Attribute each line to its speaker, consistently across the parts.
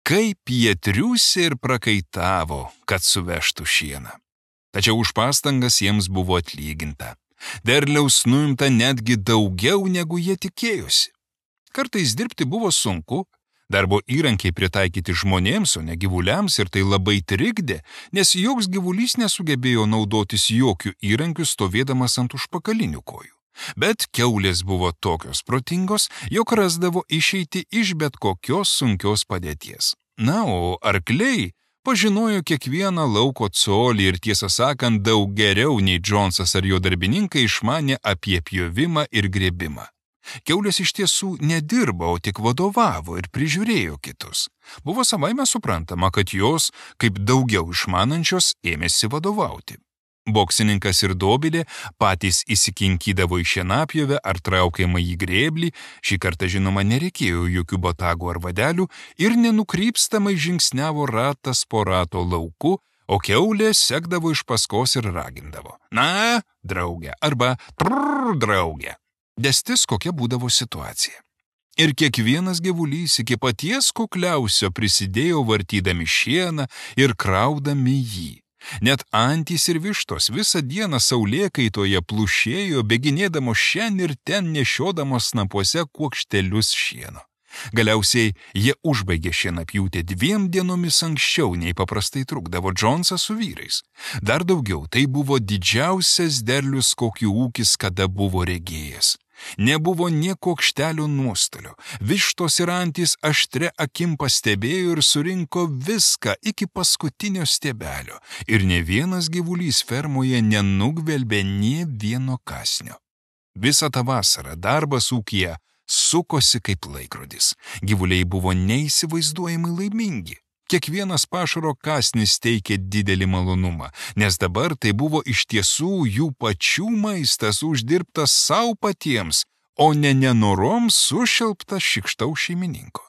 Speaker 1: Kaip jie triūsė ir prakaitavo, kad suvežtų šieną. Tačiau už pastangas jiems buvo atlyginta. Derliaus nuimta netgi daugiau, negu jie tikėjosi. Kartais dirbti buvo sunku, darbo įrankiai pritaikyti žmonėms, o ne gyvuliams, ir tai labai trikdė, nes joks gyvulys nesugebėjo naudotis jokių įrankių stovėdamas ant užpakalinių kojų. Bet kiaulės buvo tokios protingos, jog rasdavo išeiti iš bet kokios sunkios padėties. Na, o arkliai pažinojo kiekvieną lauko colį ir tiesą sakant daug geriau nei Džonsas ar jo darbininkai išmanė apie pjovimą ir grėbimą. Kiaulės iš tiesų nedirbo, o tik vadovavo ir prižiūrėjo kitus. Buvo savaime suprantama, kad jos, kaip daugiau išmanančios, ėmėsi vadovauti. Boksininkas ir dobilė patys įsikinkydavo į šienapjovę ar traukiamą į grėblį, šį kartą žinoma nereikėjo jokių botagų ar vadelių, ir nenukrypstamai žingsniavo ratas po rato lauku, o kiaulė sekdavo iš paskos ir ragindavo: "Na, draugė" arba "Trrr, draugė". Destis kokia būdavo situacija. Ir kiekvienas gyvulys iki paties kukliausio prisidėjo vartydami šieną ir kraudami jį. Net antys ir vištos visą dieną saulėkaitoje plušėjo, bėginėdamos šen ir ten nešiodamos snapuose kuokštelius šieno. Galiausiai jie užbaigė šienapjūtę 2 dienomis anksčiau, nei paprastai trukdavo Džonsas su vyrais. Dar daugiau, tai buvo didžiausias derlius, kokį ūkis kada buvo regėjęs. Nebuvo nė kuokštelio nuostolio. Vištos ir antys aštre akim pastebėjo ir surinko viską iki paskutinio stiebelio. Ir ne vienas gyvulys fermoje nenugvelbė nė vieno kąsnio. Visą tą vasarą darbas ūkyje sukosi kaip laikrodis. Gyvuliai buvo neįsivaizduojamai laimingi. Kiekvienas pašaro kąsnis teikė didelį malonumą, nes dabar tai buvo iš tiesų jų pačių maistas uždirbtas savo patiems, o ne nenorom sušelptas šikštaus šeimininko.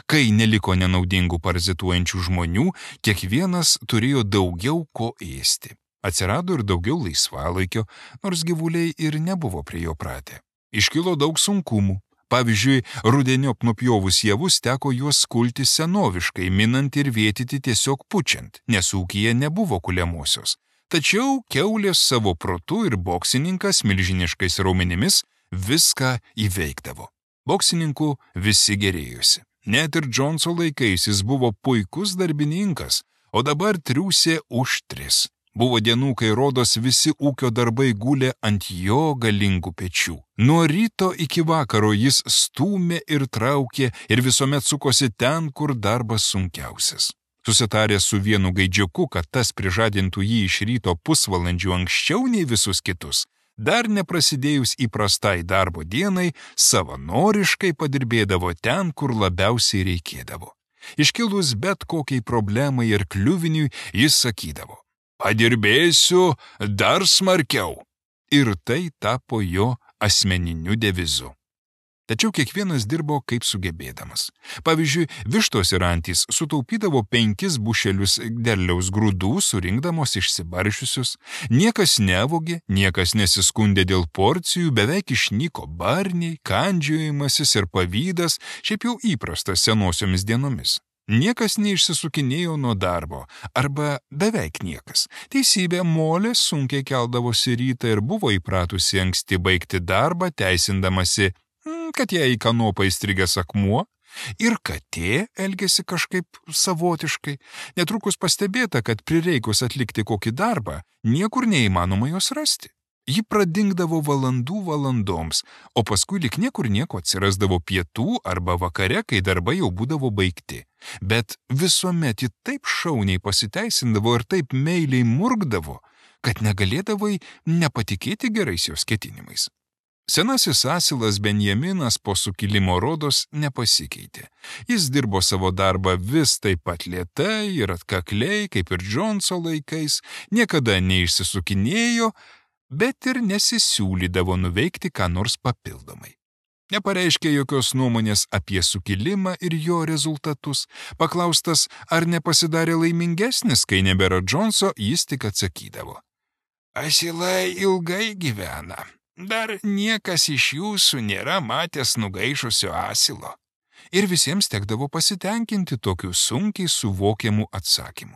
Speaker 1: Kai neliko nenaudingų parazituojančių žmonių, kiekvienas turėjo daugiau ko ėsti. Atsirado ir daugiau laisvalaikio, nors gyvuliai ir nebuvo prie jo pratę. Iškilo daug sunkumų. Pavyzdžiui, rudeniop nupjovus javus teko juos kulti senoviškai, minant ir vėtyti tiesiog pučiant, nes ūkyje nebuvo kuliamosios. Tačiau kiaulės savo protu ir boksininkas milžiniškais raumenimis viską įveikdavo. Boksininkų visi gerėjosi. Net ir Džonso laikais jis buvo puikus darbininkas, o dabar triūsė už 3. Buvo dienų, kai rodos visi ūkio darbai gulė ant jo galingų pečių. Nuo ryto iki vakaro jis stūmė ir traukė ir visuomet sukosi ten, kur darbas sunkiausias. Susitaręs su vienu gaidžiuku, kad tas prižadintų jį iš ryto pusvalandžių anksčiau nei visus kitus, dar neprasidėjus įprastai darbo dienai, savanoriškai padirbėdavo ten, kur labiausiai reikėdavo. Iškilus bet kokiai problemai ir kliuviniui, jis sakydavo: "Padirbėsiu dar smarkiau." Ir tai tapo jo asmeniniu devizu. Tačiau kiekvienas dirbo kaip sugebėdamas. Pavyzdžiui, vištos ir antys sutaupydavo 5 bušelius derliaus grūdų, surinkdamos išsibaršiusius. Niekas nevogė, niekas nesiskundė dėl porcijų, beveik išnyko barniai, kandžiojimasis ir pavydas, šiaip jau įprastas senosiomis dienomis. Niekas neišsisukinėjo nuo darbo, arba beveik niekas. Teisybė, Molė sunkiai keldavosi rytą ir buvo įpratusi anksti baigti darbą, teisindamasi, kad jai į kanopą įstrigęs akmuo, ir katė elgėsi kažkaip savotiškai. Netrukus pastebėta, kad prireikus atlikti kokį darbą, niekur neįmanoma jos rasti. Ji pradingdavo valandų valandoms, o paskui lik niekur nieko atsirasdavo pietų arba vakare, kai darbai jau būdavo baigti. Bet visuomet ji taip šauniai pasiteisindavo ir taip meiliai murkdavo, kad negalėdavai nepatikėti gerais jos ketinimais. Senasis asilas Benjaminas po sukilimo rodos nepasikeitė. Jis dirbo savo darbą vis taip pat lėtai ir atkakliai, kaip ir Džonso laikais, niekada neišsisukinėjo, bet ir nesisiūlydavo nuveikti ką nors papildomai. Nepareiškė jokios nuomonės apie sukilimą ir jo rezultatus. Paklaustas, ar nepasidarė laimingesnis, kai nebėra Džonso, jis tik atsakydavo: "Asilai ilgai gyvena. Dar niekas iš jūsų nėra matęs nugaišusio asilo. Ir visiems tekdavo pasitenkinti tokiu sunkiai suvokiamu atsakymu.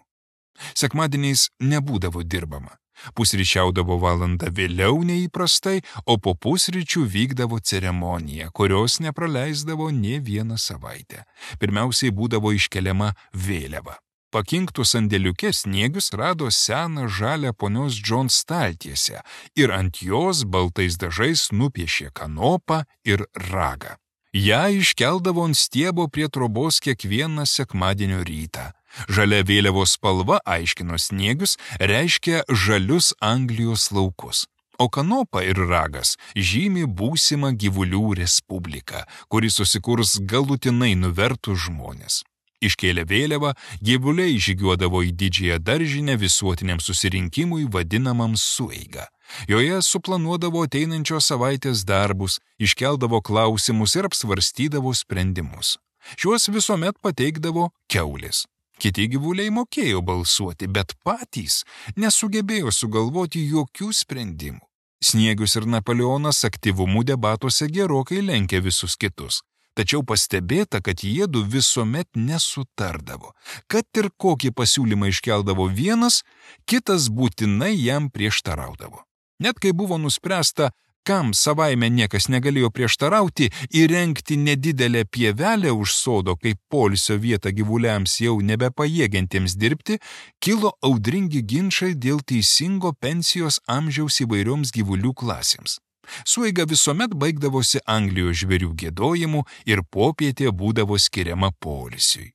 Speaker 1: Sekmadieniais nebūdavo dirbama. Pusryčiaudavo valandą vėliau neįprastai, o po pusryčių vykdavo ceremonija, kurios nepraleisdavo nė vieną savaitę. Pirmiausiai būdavo iškeliama vėliava. Pakinktų sandėliuke Sniegius rado seną žalią ponios John staltiesę ir ant jos baltais dažais nupiešė kanopą ir ragą. Ja iškeldavo ant stiebo prie trobos kiekvieną sekmadienio rytą. Žalia vėliavos spalva, aiškino Sniegius, reiškia žalius Anglijos laukus. O kanopa ir ragas žymi būsimą gyvulių respubliką, kuri susikurs galutinai nuvertus žmonės. Iškėlę vėliavą, gyvuliai žygiuodavo į didžiąją daržinę visuotiniam susirinkimui vadinamam sueiga. Joje suplanuodavo ateinančios savaitės darbus, iškeldavo klausimus ir apsvarstydavo sprendimus. Šiuos visuomet pateikdavo kiaulės. Kiti gyvuliai mokėjo balsuoti, bet patys nesugebėjo sugalvoti jokių sprendimų. Sniegius ir Napoleonas aktyvumu debatuose gerokai lenkė visus kitus. Tačiau pastebėta, kad jiedu visuomet nesutardavo. Kad ir kokį pasiūlymą iškeldavo vienas, kitas būtinai jam prieštaraudavo. Net kai buvo nuspręsta, kam savaime niekas negalėjo prieštarauti, įrengti nedidelę pievelę už sodo kaip poilsio vietą gyvuliams jau nebepajėgiantiems dirbti, kilo audringi ginčai dėl teisingo pensijos amžiaus įvairioms gyvulių klasėms. Sueiga visuomet baigdavosi Anglijos žvėrių giedojimu ir popietė būdavo skiriama poilsiui.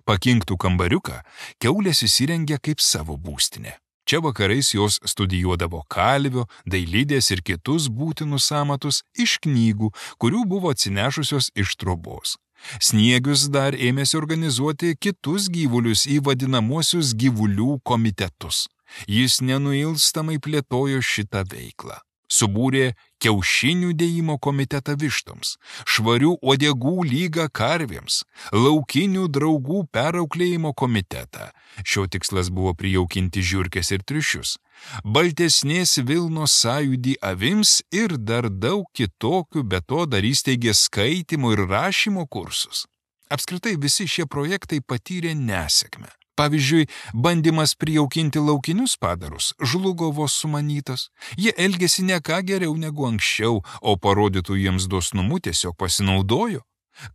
Speaker 1: Pakinktų kambariuką kiaulės įsirengė kaip savo būstinę. Čia vakarais jos studijuodavo kalvio, dailidės ir kitus būtinus amatus iš knygų, kurių buvo atsinešusios iš trobos. Sniegius dar ėmėsi organizuoti kitus gyvulius į vadinamuosius gyvulių komitetus. Jis nenuilstamai plėtojo šitą veiklą. Subūrė kiaušinių dėjimo komitetą vištoms, švarių uodegų lygą karvėms, laukinių draugų perauklėjimo komitetą. Šio tikslas buvo prijaukinti žiurkes ir triušius, baltesnės vilnos sąjūdį avims ir dar daug kitokių, be to dar įsteigė skaitymo ir rašymo kursus. Apskritai visi šie projektai patyrė nesėkmę. Pavyzdžiui, bandymas prijaukinti laukinius padarus žlugo vos sumanytas. Jie elgėsi ne ką geriau negu anksčiau, o parodytų jiems dosnumu tiesiog pasinaudojo.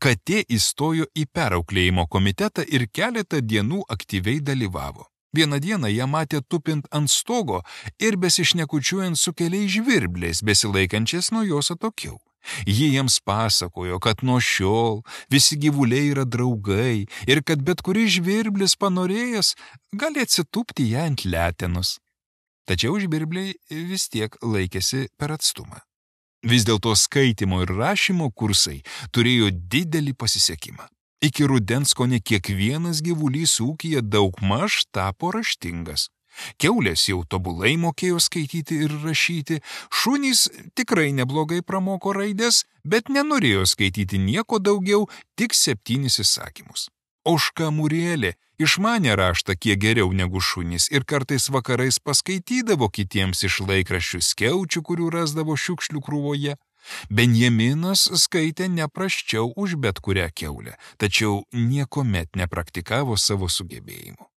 Speaker 1: Katė įstojo į perauklėjimo komitetą ir keletą dienų aktyviai dalyvavo. Vieną dieną ją matė tupint ant stogo ir besišnekučiuojant su keliais žvirbliais, besilaikančiais nuo jos atokiau. Ji jiems pasakojo, kad nuo šiol visi gyvuliai yra draugai ir kad bet kuris žvirblis panorėjęs gali atsitūpti ją ant letenos. Tačiau žvirbliai vis tiek laikėsi per atstumą. Vis dėlto skaitymo ir rašymo kursai turėjo didelį pasisekimą. Iki rudens kone kiekvienas gyvulys ūkyje daugmaž tapo raštingas. Kiaulės jau tobulai mokėjo skaityti ir rašyti, šunys tikrai neblogai pramoko raidės, bet nenorėjo skaityti nieko daugiau, tik 7 įsakymus. Ožka Murielė išmanė raštą kiek geriau negu šunys ir kartais vakarais paskaitydavo kitiems iš laikraščių skiaučių, kurių rasdavo šiukšlių krūvoje. Benjaminas skaitė neprasčiau už bet kurią kiaulę, tačiau niekuomet nepraktikavo savo sugebėjimų.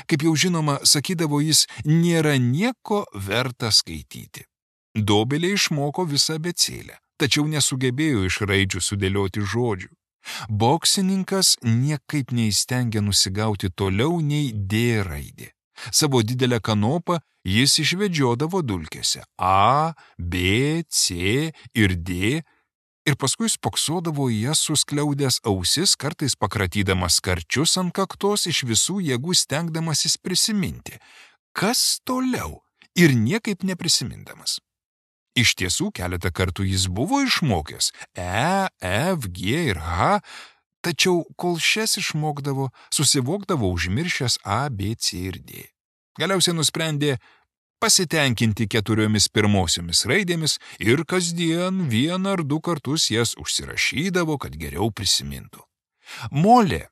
Speaker 1: Kaip jau žinoma, sakydavo jis, nėra nieko verta skaityti. Dobelė išmoko visą abėcėlę, tačiau nesugebėjo iš raidžių sudėlioti žodžių. Boksininkas niekaip neįstengė nusigauti toliau nei D raidė. Savo didelę kanopą jis išvedžiodavo dulkėse A, B, C ir D, ir paskui spoksodavo į jas suskliaudęs ausis, kartais pakratydamas karčius ant kaktos, iš visų jėgų stengdamasis prisiminti, kas toliau, ir niekaip neprisimindamas. Iš tiesų, keletą kartų jis buvo išmokęs E, F, G ir H, tačiau kol šias išmokdavo, susivokdavo užmiršęs A, B, C ir D. Galiausiai nusprendė pasitenkinti 4 pirmosiomis raidėmis ir kasdien 1 ar 2 kartus jas užsirašydavo, kad geriau prisimintų. Molė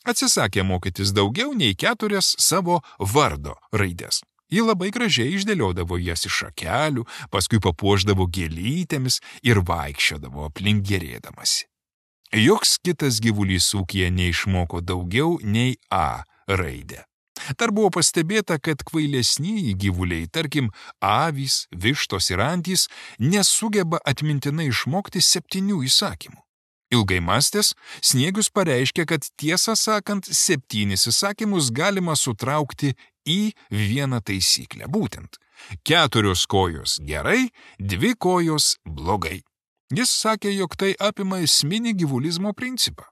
Speaker 1: atsisakė mokytis daugiau nei 4 savo vardo raidės. Ji labai gražiai išdėliodavo jas iš šakelių, paskui papuošdavo gėlytėmis ir vaikščiodavo aplink gerėdamasi. Joks kitas gyvulys ūkyje neišmoko daugiau nei A raidę. Dar buvo pastebėta, kad kvailesnieji gyvuliai, tarkim, avys, vištos ir antys, nesugeba atmintinai išmokti 7 įsakymų. Ilgai mąstęs, Sniegius pareiškė, kad tiesą sakant, 7 įsakymus galima sutraukti į vieną taisyklę. Būtent 4 kojos gerai, 2 kojos blogai. Jis sakė, jog tai apima esminį gyvulizmo principą.